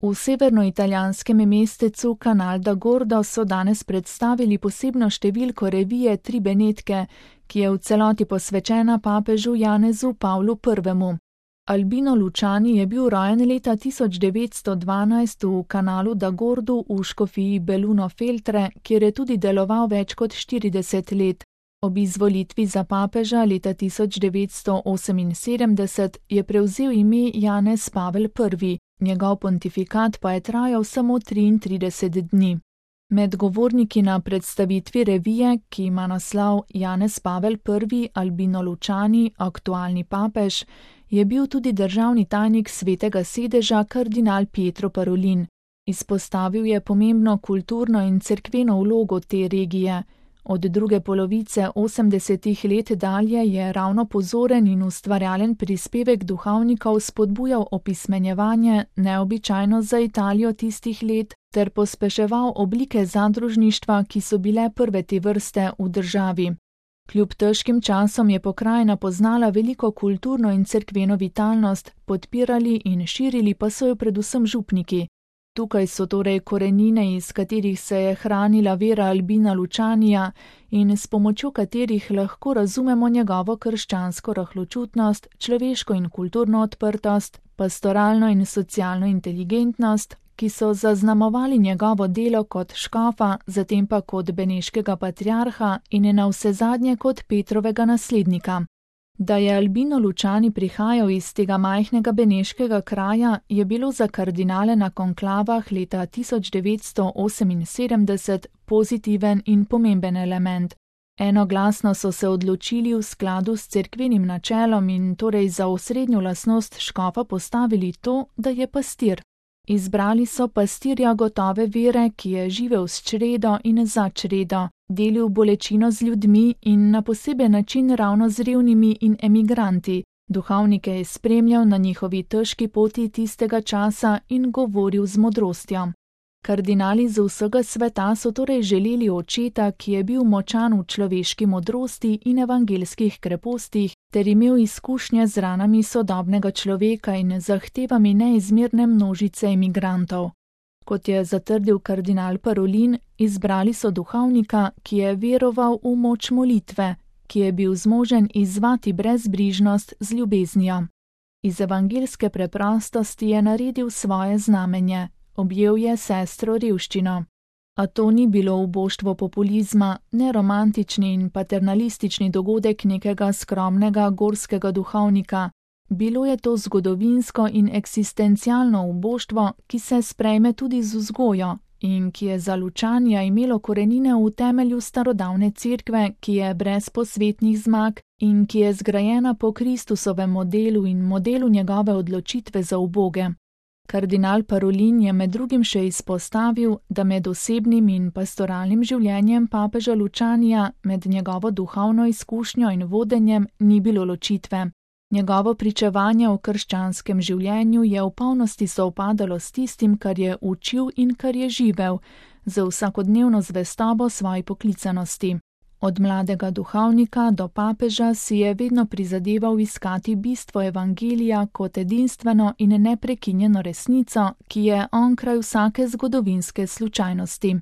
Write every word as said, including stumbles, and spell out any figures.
V severnoitalijanskem mestecu Canal da Gordo so danes predstavili posebno številko revije Tri Benetke, ki je v celoti posvečena papežu Janezu Pavlu prvemu. Albino Luciani je bil rojen leta tisoč devetsto dvanajst v Canalu da Gordu v škofiji Belluno Feltre, kjer je tudi deloval več kot štirideset let. Ob izvolitvi za papeža leta tisoč devetsto oseminsedemdeset je prevzel ime Janez Pavel prvi, njegov pontifikat pa je trajal samo triintrideset dni. Med govorniki na predstavitvi revije, ki ima naslov Janez Pavel prvi, Albino Luciani, aktualni papež, je bil tudi državni tajnik Svetega sedeža kardinal Pietro Parolin. Izpostavil je pomembno kulturno in cerkveno vlogo te regije. Od druge polovice osemdesetih let dalje je ravno pozoren in ustvarjalen prispevek duhovnikov spodbujal opismenjevanje, neobičajno za Italijo tistih let, ter pospeševal oblike zadružništva, ki so bile prve te vrste v državi. Kljub težkim časom je pokrajina poznala veliko kulturno in cerkveno vitalnost, podpirali in širili pa so jo predvsem župniki. Tukaj so torej korenine, iz katerih se je hranila vera Albina Lucianija in s pomočjo katerih lahko razumemo njegovo krščansko rahločutnost, človeško in kulturno odprtost, pastoralno in socialno inteligentnost, ki so zaznamovali njegovo delo kot škofa, zatem pa kot beneškega patriarha in navsezadnje kot Petrovega naslednika. Da je Albino Luciani prihajal iz tega majhnega beneškega kraja, je bilo za kardinale na konklavah leta tisoč devetsto oseminsedemdeset pozitiven in pomemben element. Enoglasno so se odločili v skladu s cerkvenim načelom in torej za osrednjo lastnost škofa postavili to, da je pastir. Izbrali so pastirja gotove vere, ki je živel s čredo in za čredo, delil bolečino z ljudmi in na poseben način ravno z revnimi in emigranti. Duhovnike je spremljal na njihovi težki poti tistega časa in govoril z modrostjo. Kardinali z vsega sveta so torej želeli očeta, ki je bil močan v človeški modrosti in evangelskih krepostih, ter imel izkušnje z ranami sodobnega človeka in zahtevami neizmerne množice emigrantov. Kot je zatrdil kardinal Parolin, izbrali so duhovnika, ki je veroval v moč molitve, ki je bil zmožen izzvati brezbrižnost z ljubeznijo. Iz evangelske preprostosti je naredil svoje znamenje. Objel je sestro revščino. A to ni bilo uboštvo populizma, ne romantični in paternalistični dogodek nekega skromnega gorskega duhovnika. Bilo je to zgodovinsko in eksistencialno uboštvo, ki se sprejme tudi z vzgojo in ki je za Lucianija imelo korenine v temelju starodavne cerkve, ki je brez posvetnih zmag in ki je zgrajena po Kristusovem modelu in modelu njegove odločitve za uboge. Kardinal Parolin je med drugim še izpostavil, da med osebnim in pastoralnim življenjem papeža Lucianija, med njegovo duhovno izkušnjo in vodenjem, ni bilo ločitve. Njegovo pričevanje o krščanskem življenju je v polnosti sovpadalo s tistim, kar je učil in kar je živel, z vsakodnevno zvestobo svoji poklicanosti. Od mladega duhovnika do papeža si je vedno prizadeval iskati bistvo evangelija kot edinstveno in neprekinjeno resnico, ki je onkraj vsake zgodovinske slučajnosti.